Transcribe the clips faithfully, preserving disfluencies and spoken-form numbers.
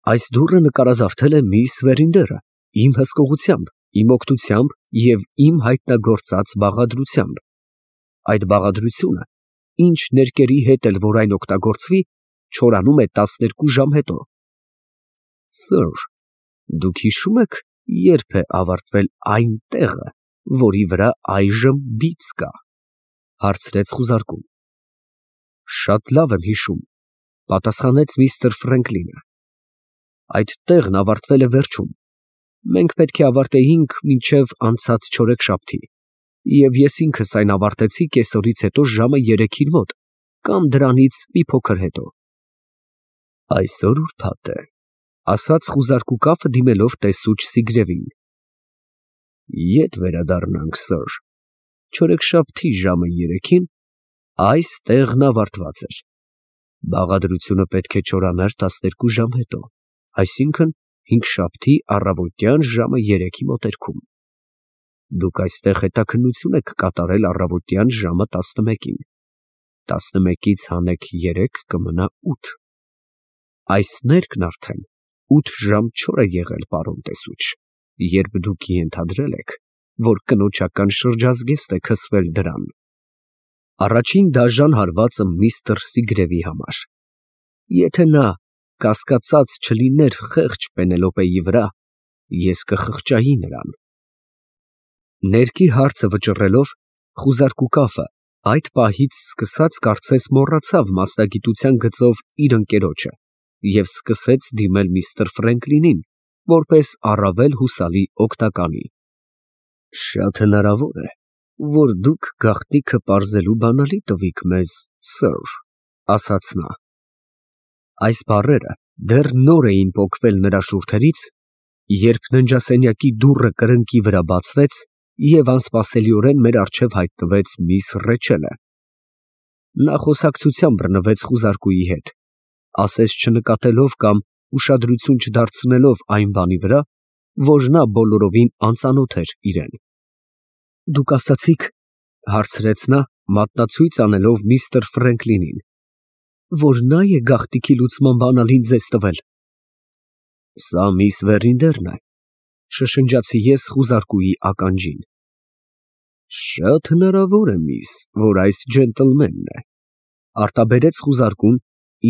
Այս դուռը նկարազարդել է միս Վերինդերը իմ հսկողությամբ, իմ օգնությամբ և իմ հայտնագործած բաղադրությամբ։ Այդ բաղադրությունը, ինչ ներկերի հետ էլ որ այն օգտագործվի, չորանում է տասներկու ժամ հետո։ Սըր, դուք հիշո՞ւմ եք, երբ է ավարտվել այն տեղը, որի վրա այժմ բիծ կա, ֊ հարցրեց խուզարկուն։ Շատ լավ եմ հիշում, ֊ պատասխանեց միստր Ֆրենկլինը։ Այդ տեղն ավարտվել է վերջում, մենք պետք է ավարտեինք մինչև անցած չորեքշաբթի, և ես ինքս այն ավարտեցի կեսօրից հետո ժամը երեքին մոտ, կամ դրանից մի փոքր հետո։ Այսօր ուրբաթ է, ֊ ասաց խուզարկու կապը, դիմելով տեսուչ Սիգրևին։ Ետ վերադառնանք, սըր, չորեքշաբթի ժամը երեքին այս տեղն ավարտված էր։ Բաղադրությունը պետք է չորանար տասներկու ժամ հետո, այսինքն հինգշաբթի առավոտյան ժամը երեքի մոտերքում։ Դուք այստեղ հետաքննություն եք կատարել առավոտյան ժամը տասնմեկին, տասնմեկից հանեք երեք կմնա ութ։ Այս ներկն արդեն ութ ժամ չոր է եղել, պարոն տեսուչ, երբ դուք ենթադրել եք, որ կնոջական շրջազգեստ է քսվել դրան։ Առաջին դաժան հարվածը միստր Սիգրևի համար։ Եթե նա կասկածած չլիներ խեղճ Պենելոպեի վրա, ես կխղճայի նրան։ Ներկի հարցը վճռելով, խուզարկու կապը այդ պահից սկսած կարծես մոռացավ մասնագիտության գծով իր ընկերոջը և սկսեց դիմել միստր Ֆրենկլինին, որպես առավել հուսալի օգնականի։ Շատ հնարավոր է, որ դուք գաղտնիքը պարզելու բանալի տվիք մեզ, սըր, ֊ ասաց նա։ Այս բառերը դեռ նոր էին պոկվել նրա շուրթերից, երբ ննջասենյակի դուռը կրկնակի վրա բացվեց, և անսպասելիորեն մեր առջև հայտնվեց միս Ռեչելը։ Նա խոսակցության բռնվեց խուզարկուի հետ, ասես չնկատելով կամ ուշադրություն չդարձնելով այն բանի վրա, որ նա բոլորովին անծանոթ էր իրան։ Դուք ասացիք, ֊ հարցրեց նա, մատնացույց անելով միստր Ֆրենկլինին, որ նա է գաղտնիքի լուծման բանալին ձեզ տվել։ Սա միս Վերինդերն է, ֊ շշնջացի ես խուզարկուի ականջին։ Շատ հնարավոր է, միս, որ այս ջենտլմենն է, ֊ արտաբերեց խուզարկուն,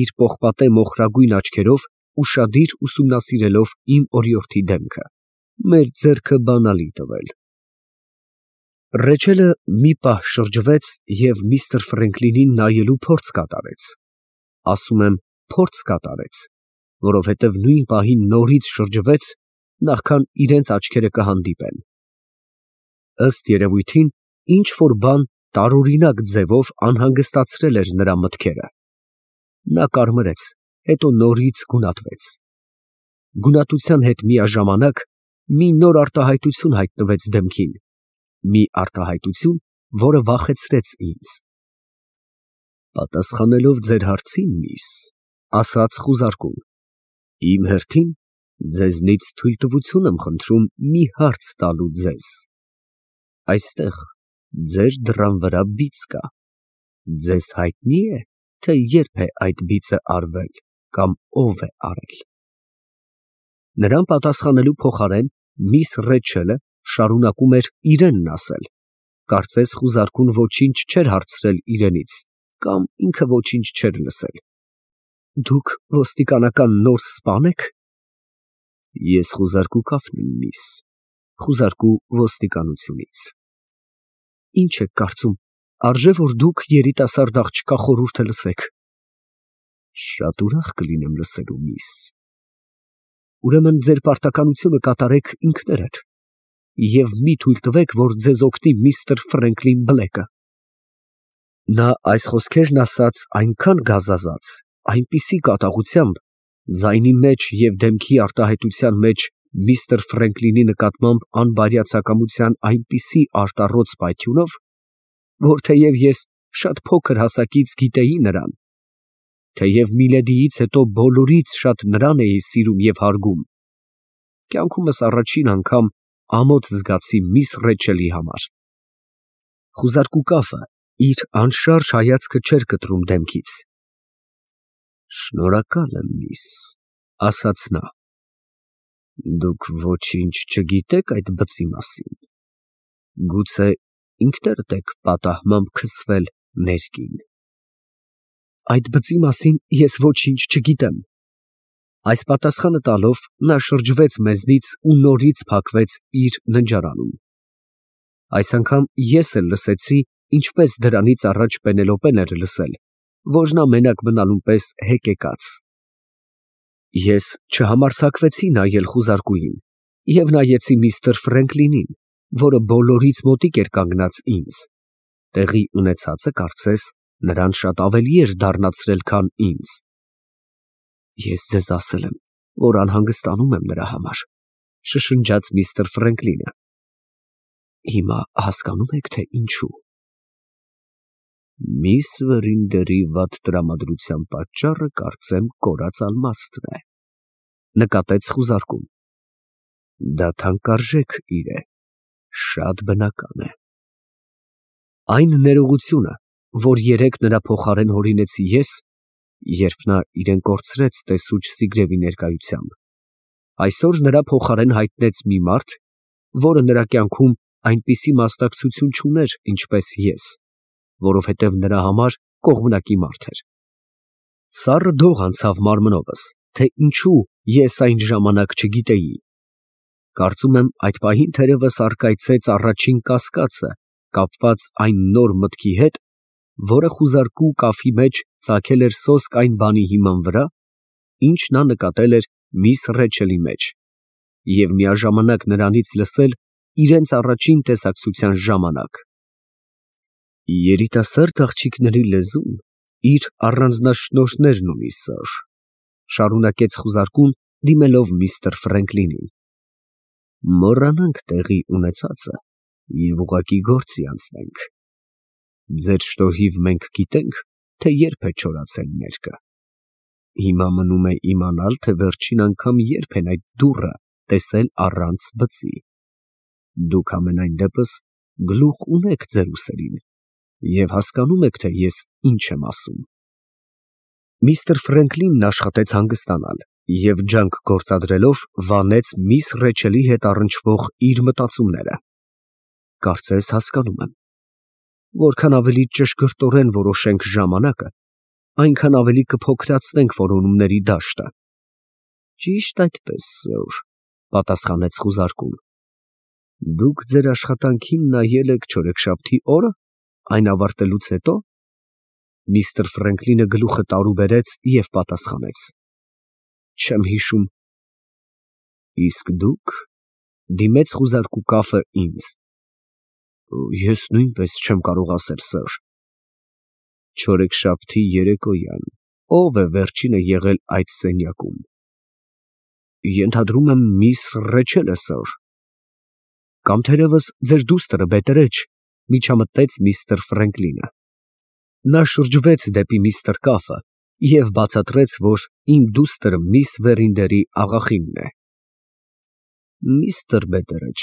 իր պողպատե մոխրագույն աչքերով ուշադիր ուսումնասիրելով իմ օրիորդի դեմքը, մեր ձեռքը բանալի տվել։ Ռեչելը մի պահ շրջվեց և միստր Ֆրենկլինին նայելու փորձ կատարեց, ասում եմ փորձ կատարեց, որովհետև նույն պահին նորից շրջվեց, նախքան իրենց աչքերը կհանդիպեն։ Ըստ երևույթին, ինչ֊որ բան տարօրինակ ձևով անհանգստացրել էր նրա մտքերը։ Նա կարմրեց, հետո նորից գունատվեց։ Գունատության հետ միաժամանակ մի նոր արտահայտություն հայտնվեց դեմքին, մի արտահայտություն, որը վախեցրեց ինձ։ Պատասխանելով ձեր հարցին, միս, ֊ ասաց խուզարկուն, իմ հերթին ձեզնից թույլտվություն եմ խնդրում մի հարց տալու ձեզ։ Այստեղ ձեր դռան վրա բիծ կա, ձեզ հայտնի է, թե երբ է այդ բիծը արվել կամ ով է արել։ Նրան պատասխանելու փոխարեն միս Ռեչելը շարունակում էր իրենն ասել, կարծես խուզարկուն ոչինչ չէր հարցրել իրենից, կամ ինքը ոչինչ չէր լսել։ Դուք ոստիկանական նոր սպա՞ն եք։ Ես խուզարկու կապն եմ, միս, խուզարկու ոստիկանությունից։ Ինչ եք կարծում, արժե՞ որ դուք երիտասարդ աղջկա խորհուրդը լսեք։ Շատ ուրախ կլինեմ լսելու, միս։ Ուրեմն ձեր պարտականությունը կատարեք ինքներդ և մի թույլ տվեք, որ ձեզ օգնի միստր Ֆրենկլին Բլեքը։ Նա այս խոսքերն ասաց այնքան գազազած, այնպիսի կատաղությամբ, ձայնի մեջ և դեմքի արտահայտության մեջ միստր Ֆրենկլինի նկատմամբ անբարյացակամության այնպիսի արտառոց պայթյունով, որ թեև ես շատ փոքր հասակից գիտեի նրան, թեև Միլեդիից հետո բոլորից շատ նրան էի սիրում և հարգում, կյանքումս առաջին անգամ ամոթ զգացի միս Ռեչելի համար։ Խուզարկու կապը իր անշարժ հայացքը չէր կտրում դեմքից։ Շնորհակալ եմ, միս, ասաց նա։ Դուք ոչինչ չգիտեք այդ բծի մասին։ Գուցե ինքներդ եք պատահմամբ քսվել ներքին։ Այդ բծի մասին ես ոչինչ չգիտեմ։ Այս պատասխանը տալով նա շրջվեց մեզնից ու նորից փակվեց իր ննջարանում։ Այս անգամ ես էլ լսեցի, ինչպես դրանից առաջ Պենելոպեն էր լսել, որ նա մենակ մնալուն պես հեկեկաց։ Ես չհամարձակվեցի նայել խուզարկուին և նայեցի միստր Ֆրենկլինին, որը բոլորից մոտիկ էր կանգնած ինձ. տեղի ունեցածը կարծես նրան շատ ավելի էր դառնացրել, քան ինձ։ Ես ձեզ ասել եմ, որ անհանգստանում եմ նրա համար, շշնջաց միստր Ֆրենկլինը։ Հիմա հասկանում եք, թե ինչու։ Միս Վերինդերի վատ տրամադրության պատճառը կարծեմ կորած ալմաստն է, նկատեց խուզարկուն։ Դա թանկարժեք իր է, շատ բնական է։ Այն ներողությունը, որ երեկ նրա փոխարեն հորինեցի ես, երբ նա իրեն կորցրեց տեսուչ Զիգրևի ներկայությամբ, այսօր նրա փոխարեն հայտնեց մի մարդ, որը նրա կյանքում այնպիսի մասնակցություն չուներ, ինչպես ես, որովհետև նրա համար կողմնակի մարդ էր։ Սառը դող անցավ մարմնովս, թե ինչու ես այն ժամանակ չգիտեի։ Կարծում եմ այդ պահին թերևս առկայծեց առաջին կասկածը, կապված այն նոր մտքի հետ, որը խուզարկու կաֆի մեջ ծագել էր սոսկ այն բանի հիման վրա, ինչ նա նկատել էր միս Ռեչելի մեջ, և միաժամանակ նրանից լսել իրենց առաջին տեսակցության ժամանակ։ Երիտասարդ աղջիկների լեզուն իր առանձնաշնորհներն ունի, սըր, շարունակեց խուզարկուն, դիմելով միստր Ֆրենկլինին։ Մոռանանք տեղի ունեցածը և ուղղակի գործի անցնենք։ Ձեր շնորհիվ մենք գիտենք, թե երբ է չորացել ներկը։ Հիմա մնում է իմանալ, թե վերջին անգամ երբ են այդ դուռը տեսել առանց բծի։ Դուք ամենայն դեպս գլուխ ունեք ձեր ուսերին և հասկանում եք, թե ես ինչ եմ ասում։ Միստր Ֆրենկլինն աշխատեց հանգստանալ և ջանք գործադրելով վանեց միս Ռեչելի հետ առնչվող իր մտածումները։ Կարծես հասկանում եմ։ Որքան ավելի ճշգրտորեն որոշենք ժամանակը, այնքան ավելի կփոքրացնենք որոնումների դաշտը։ Ճիշտ այդպես, սըր, պատասխանեց խուզարկուն։ Դուք ձեր աշխատանքին նայել եք չորեքշաբթի օրը, այն ավարտելուց հետո։ Միստր Ֆրենկլինը գլուխը տարուբերեց և պատասխանեց. Չեմ հիշում։ Իսկ դուք, դիմեց խուզարկու կաֆը ինձ։ Ես նույնպես չեմ կարող ասել, սըր։ Չորեքշաբթի երեկոյան ո՞վ է վերջինը եղել այդ սենյակում։ Ենթադրում եմ միս Ռեչելը, սըր։ Կամ թերևս ձեր դուստրը Բետերեչ, միջամտեց միստր Ֆրենկլինը։ Նա շրջվեց դեպի միստր Կաֆը և բացատրեց, որ իմ դուստրը միս Վերինդերի աղախինն է։ Միստր Բետերեչ,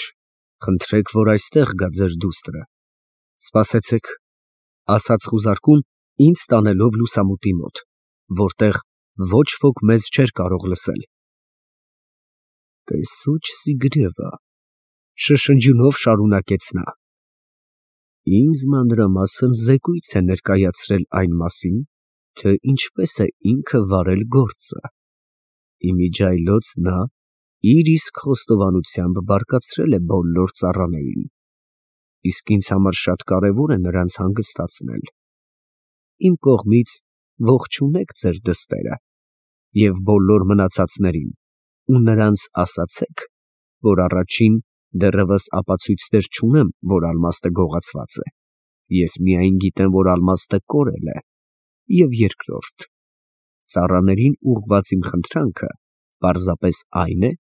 խնդրեք, որ այստեղ գա ձեր դուստրը։ Սպասեցեք, ասաց խուզարկուն, ինձ տանելով լուսամուտի մոտ, որտեղ ոչ ոք մեզ չէր կարող լսել։ Տեսուչ Զիգրևը, շշնջյունով շարունակեց նա։ Ինձ մանրամասն զեկույց է ներկայացրել այն մասին, թե ինչպես է ինքը վարել գործը։ Իմիջիայլոց նա իր իսկ խոստովանությամբ բարկացրել է բոլոր ծառաներին, իսկ ինձ համար շատ կարևոր է նրանց հանգստացնել։ Իմ կողմից ողջունեք ձեր դստերը և բոլոր մնացածներին ու նրանց ասացեք, որ առաջին դեռևս ապացույցներ չունեմ, որ ալմաստը գողացված է, ես միայն գիտեմ, որ ալմաստը կորել է, և երկրորդ, ծառաներին ուղղված իմ խնդրանքը պարզապես այն է,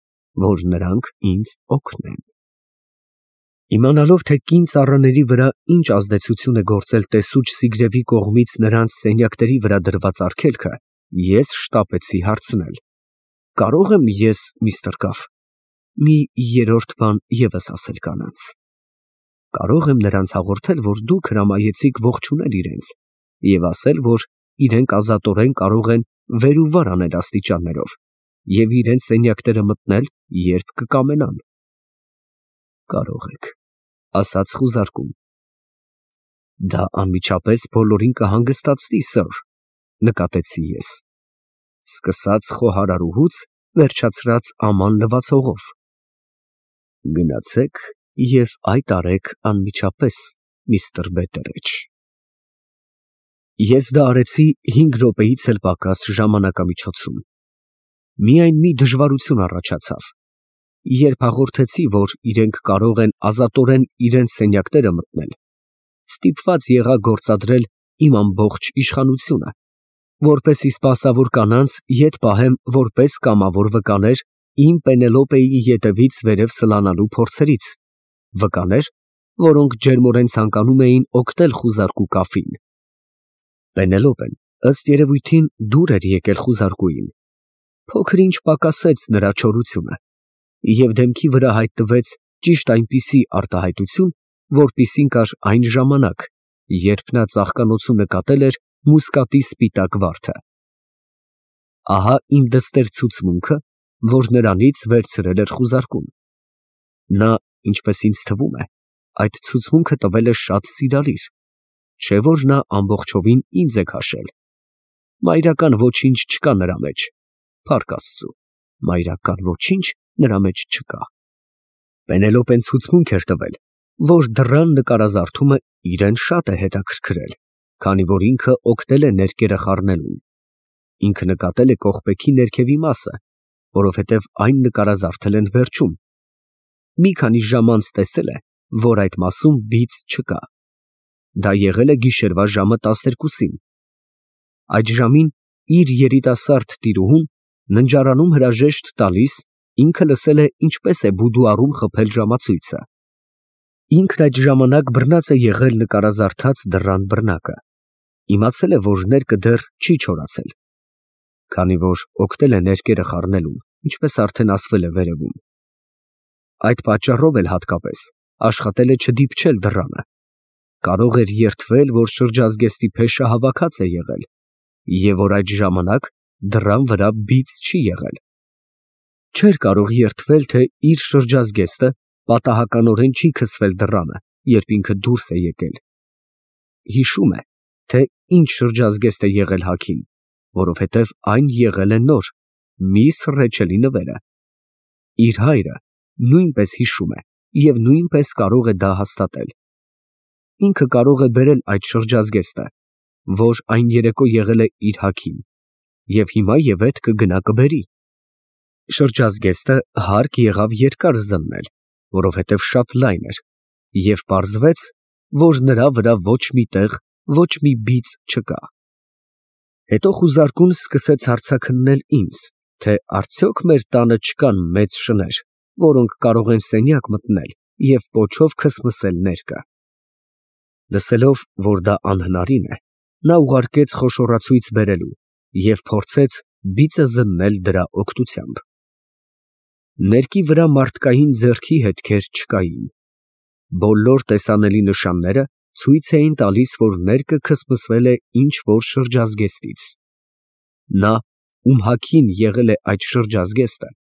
որ նրանք ինձ օգնեն։ Իմանալով, թե կին ծառաների վրա ինչ ազդեցություն է գործել տեսուչ Զիգրևի կողմից նրանց սենյակների վրա դրված արգելքը, ես շտապեցի հարցնել. Կարո՞ղ եմ ես, միստր Կաֆ, մի երրորդ բան ևս ասել կանանց։ Կարո՞ղ եմ նրանց հաղորդել, որ դուք հրամայեցիք ողջունել իրենց և ասել, որ իրենք ազատորեն կարող են վեր ու վար անել աստիճաններով և իրենց սենյակները մտնել, երբ կկամենան։ Կարող եք, ասաց խուզարկուն։ Դա անմիջապես բոլորին կհանգստացնի, սըր, նկատեցի ես, սկսած խոհարարուհուց, վերջացրած աման լվացողով։ Գնացեք և այդ արեք անմիջապես, միստր Բեթերեջ։ Ես դա արեցի հինգ րոպեից էլ պակաս ժամանակամիջոցում։ Միայն մի դժվարություն առաջացավ. երբ հաղորդեցի, որ իրենք կարող են ազատորեն իրենց սենյակները մտնել, ստիպված եղա գործադրել իմ ամբողջ իշխանությունը, որպեսզի սպասավոր կանանց ետ պահեմ որպես կամավոր վկաներ իմ Պենելոպեի ետևից վերև սլանալու փորձերից, վկաներ, որոնք ջերմորեն ցանկանում էին օգնել խուզարկու կաֆին։ Պենելոպեն, ըստ երևույթին, դուր էր եկել խուզարկուին, փոքր-ինչ պակասեց նրա չորությունը, և դեմքի վրա հայտնվեց ճիշտ այնպիսի արտահայտություն, որպիսին կար այն ժամանակ, երբ նա ծաղկանոցում նկատել էր մուսկատի սպիտակ վարդը։ Ահա իմ դստեր ցուցմունքը, որ նրանից վերցրել էր խուզարկուն։ Նա, ինչպես ինձ թվում է, այդ ցուցմունքը տվել է շատ սիրալիր, չէ՞ որ նա ամբողջովին ինձ է քաշել։ Մայրական ոչինչ չկա նրա մեջ, փառք Աստծու, մայրական ոչինչ նրա մեջ չկա։ Պենելոպեն ցուցմունք էր տվել, որ դռան նկարազարդումը իրեն շատ է հետաքրքրել, քանի որ ինքը օգնել է ներկերը խառնելուն։ Ինքը նկատել է կողպեքի ներքևի մասը, որովհետև այն նկարազարդել են վերջում։ Մի քանի ժամ անց տեսել է, որ այդ մասում բիծ չկա։ Դա եղել է գիշերվա ժամը տասներկուսին։ Այդ ժամին իր երիտասարդ տիրուհուն ննջարանում հրաժեշտ տալիս, ինքը լսել է ինչպես է բուդուարում խփել ժամացույցը։ Ինքն այդ ժամանակ բռնած է եղել նկարազարդած դռան բռնակը, իմացել է, որ ներկը դեռ չի չորացել, քանի որ օգնել է ներկերը խառնելուն, ինչպես արդեն ասվել է վերևում։ Այդ պատճառով էլ հատկապես աշխատել է չդիպչել դռանը, կարող էր երդվել, որ շրջազգեստի փեշը հավաքած է եղել, և որ այդ ժամանակ դռան վրա բիծ չի եղել։ Չէր կարող երդվել, թե իր շրջազգեստը պատահականորեն չի քսվել դռանը, երբ ինքը դուրս է եկել։ Հիշում է, թե ինչ շրջազգեստ է եղել հագին, որովհետև այն եղել է նոր, մի սռեչելի նվերը։ Իր հայրը նույնպես հիշում է և նույնպես կարող է դա հաստատել։ Ինքը կարող է բերել այդ շրջազգեստը, որ այն երեկո եղել է իր հագին, և հիմա ևեթ կգնա կբերի։ Շրջազգեստը հարկ եղավ երկար զննել, որովհետև շատ լայն էր, և պարզվեց, որ նրա վրա ոչ մի տեղ ոչ մի բիծ չկա։ Հետո խուզարկուն սկսեց հարցաքննել ինձ, թե արդյոք մեր տանը չկան մեծ շներ, որոնք կարող են սենյակ մտնել և պոչով քսմսել ներկը։ Լսելով, որ դա անհնարին է, նա ուղարկեց խոշորացույց բերելու և փորձեց բիծը զննել դրա օգնությամբ։ Ներկի վրա մարդկային ձեռքի հետքեր չկային։ Բոլոր տեսանելի նշանները ցույց էին տալիս, որ ներկը քսմսվել է ինչ֊որ շրջազգեստից։ Նա, ում հագին եղել է այդ շրջազգեստը,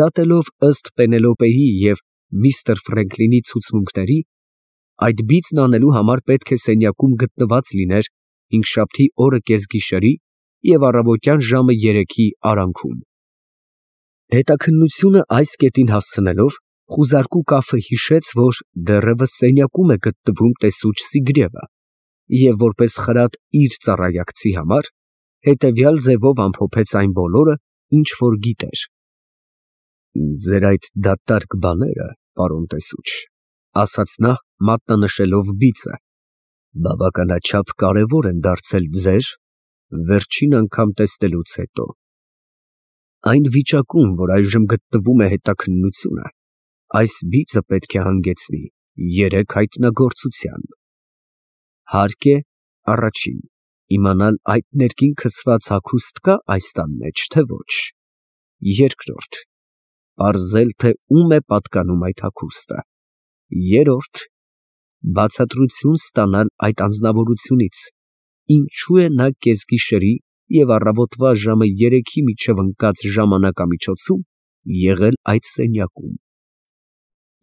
դատելով ըստ Պենելոպեի և միստր Ֆրենքլինի ցուցմունքների, այդ բիծն անելու համար պետք է սենյակում գտնված լիներ հինգշաբթի օրը կեսգիշերի և առավոտյան ժամը երեքի արանքում։ Հետաքննությունը այս կետին հասցնելով, խուզարկու կաֆը հիշեց, որ դեռևս սենյակում է գտնվում տեսուչ Սիգրևը, և որպես խրատ իր ծառայակցի համար, հետևյալ ձևով ամփոփեց այն բոլորը, ինչ որ գիտեր։ «Ձեր այդ դատարկ բաները, պարոն տեսուչ», ասաց նա, մատնանշելով բիծը, «բավականաչափ կարևոր են դարձել ձեր վերջին անգամ տեսնելուց հետո։ Այն վիճակում, որ այժմ գտնվում է հետաքննությունը, այս բիծը պետք է հանգեցնի երեք հայտնագործության։ Հարկ է, առաջին, իմանալ այդ ներքին քսված հագուստ կա այս տան մեջ, թե ոչ։ Երկրորդ, պարզել, թե ում է պատկանում այդ հագուստը։ Երրորդ, բացատրություն ստանալ այդ անձնավորությունից, ինչու է նա կեսգիշերի և առավոտվա ժամը երեքի միջև ընկած ժամանակամիջոցում եղել այդ սենյակում։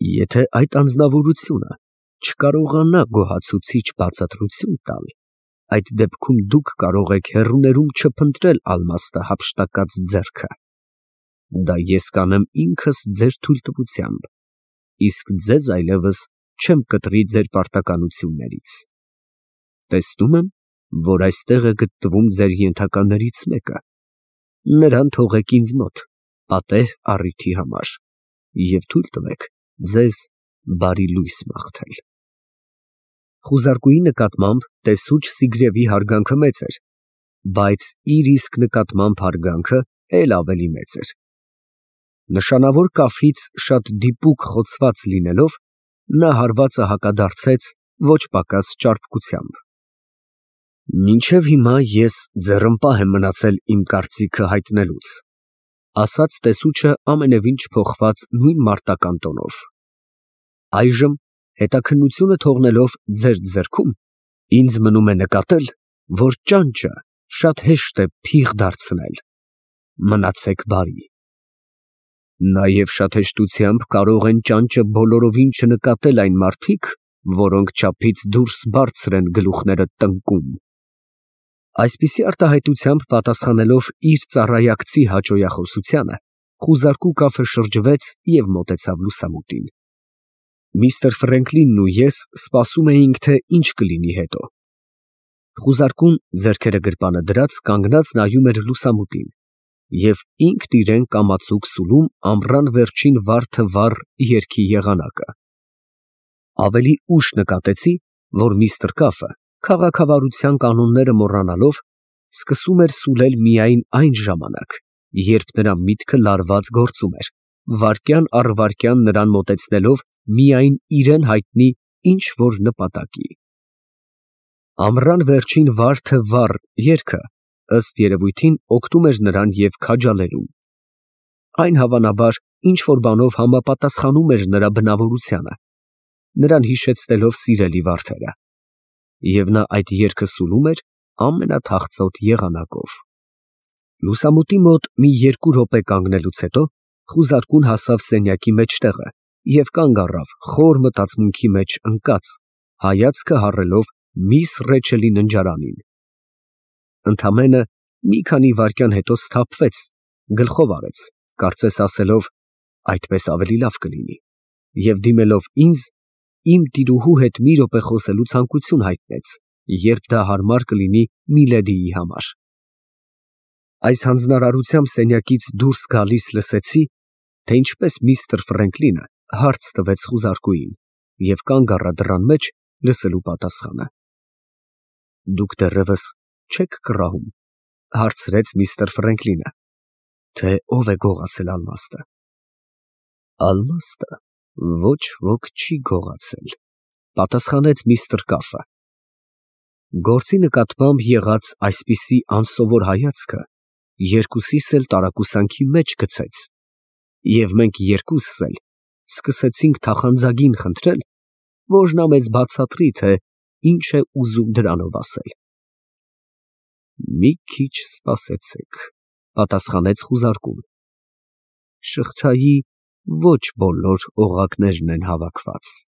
Եթե այդ անձնավորությունը չկարողանա գոհացուցիչ բացատրություն տալ, այդ դեպքում դուք կարող եք հեռուներում չփնտրել ալմաստը հափշտակած ձեռքը։ Դա ես կանեմ ինքս ձեր թույլտվությամբ, իսկ ձեզ այլևս չեմ կտրի ձեր պարտականություններից։ Տեսնում եմ, որ այստեղ է գտնվում ձեր ենթականերից մեկը, նրան թողեք ինձ մոտ պատեհ առիթի համար և թույլ տվեք ձեզ բարի լույս մաղթել։ Խուզարկուի նկատմամբ տեսուչ Սիգրևի հարգանքը մեծ էր, բայց իր իսկ նկատմամբ հարգանքը էլ ավելի մեծ էր։ Նշանավոր կաֆից շատ դիպուկ խոցված լինելով, նա հարվածը հակադարձեց ոչ պակաս ճարպկությամբ։ Մինչև հիմա ես ձեռնպահ եմ մնացել իմ կարծիքը հայտնելուց, ասաց տեսուչը ամենևին չփոխված նույն մարտական տոնով։ Այժմ, հետաքննությունը թողնելով ձեր ձեռքում, ինձ մնում է նկատել, որ ճանճը շատ հեշտ է փիղ դարձնել։ Մնացեք բարի։ Նաև շատ հեշտությամբ կարող են ճանճը բոլորովին չնկատել այն մարդիկ, որոնք չափից դուրս բարձր են գլուխները տնկում։ Այսպիսի արտահայտությամբ պատասխանելով իր ծառայակցի հաճոյախոսությանը, խուզարկու կաֆը շրջվեց և մոտեցավ լուսամուտին։ Միստր Ֆրենկլինն ու ես սպասում էինք, թե ինչ կլինի հետո։ Խուզարկուն, ձեռքերը գրպանը դրած, կանգնած նայում էր լուսամուտին և ինքն իրեն կամացուկ սուլում ամռան վերջին վառ թե վառ երգի եղանակը։ Ավելի ուշ նկատեցի, որ միստր Կաֆը, քաղաքավարության կանոնները մոռանալով, սկսում էր սուլել միայն այն ժամանակ, երբ նրա միտքը լարված գործում էր, վայրկյան առ վայրկյան նրան մոտեցնելով միայն իրան հայտնի ինչ֊որ նպատակի։ Ամռան վերջին վառ թե վառ երգը, ըստ երևույթին, օգնում էր նրան և քաջալերում։ Այն, հավանաբար, ինչ֊որ բանով համապատասխանում էր նրա բնավորությանը, նրան հիշեցնելով սիրելի վարդերը, և նա այդ երգը սուլում էր ամենաթախծոտ եղանակով։ Լուսամուտի մոտ մի երկու րոպե կանգնելուց հետո խուզարկուն հասավ սենյակի մեջտեղը և կանգ առավ խոր մտածմունքի մեջ ընկած, հայացքը հառելով միս Ռեչելի ննջարանին։ Ընդամենը մի քանի վայրկյան հետո սթափվեց, գլխով արեց, կարծես ասելով. «Այդպես ավելի լավ կլինի», և դիմելով ինձ, իմ տիրուհու հետ մի րոպե խոսելու ցանկություն հայտնեց, երբ դա հարմար կլինի միլեդիի համար։ Այս հանձնարարությամբ սենյակից դուրս գալիս լսեցի, թե ինչպես միստր Ֆրենկլինը հարց տվեց խուզարկուին և կանգ առա դռան մեջ լսելու պատասխանը։ «Դուք դեռևս չե՞ք կռահում», ֊ հարցրեց միստր Ֆրենկլինը, ֊ թե ով է գողացել ալմաստը։ «Ալմաստը ոչ ոք չի գողացել», ֊ պատասխանեց միստր Կաֆը։ Գործի նկատմամբ եղած այսպիսի անսովոր հայացքը երկուսիս էլ տարակուսանքի մեջ գցեց, և մենք երկուսս էլ սկսեցինք թախանձագին խնդրել, որ նա մեզ բացատրի, թե ինչ է ուզում դրանով ասել։ «Մի քիչ սպասեցեք», ֊ պատասխանեց խուզարկուն, ֊ շղթայի ոչ բոլոր օղակներն են հավաքված»։